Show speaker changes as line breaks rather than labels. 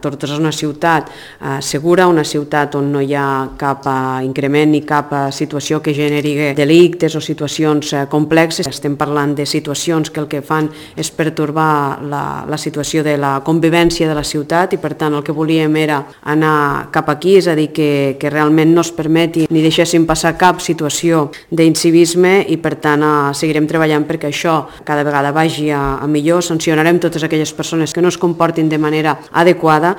Tortosa és una ciutat segura, una ciutat on no hi ha cap increment ni cap situació que generi delictes o situacions complexes. Estem parlant de situacions que el que fan és pertorbar la situació de la convivència de la ciutat i per tant el que volíem era anar cap aquí, és a dir, que realment no es permeti ni deixéssim passar cap situació d'incivisme i per tant seguirem treballant perquè això cada vegada vagi a millor. Sancionarem totes aquelles persones que no es comportin de manera adequada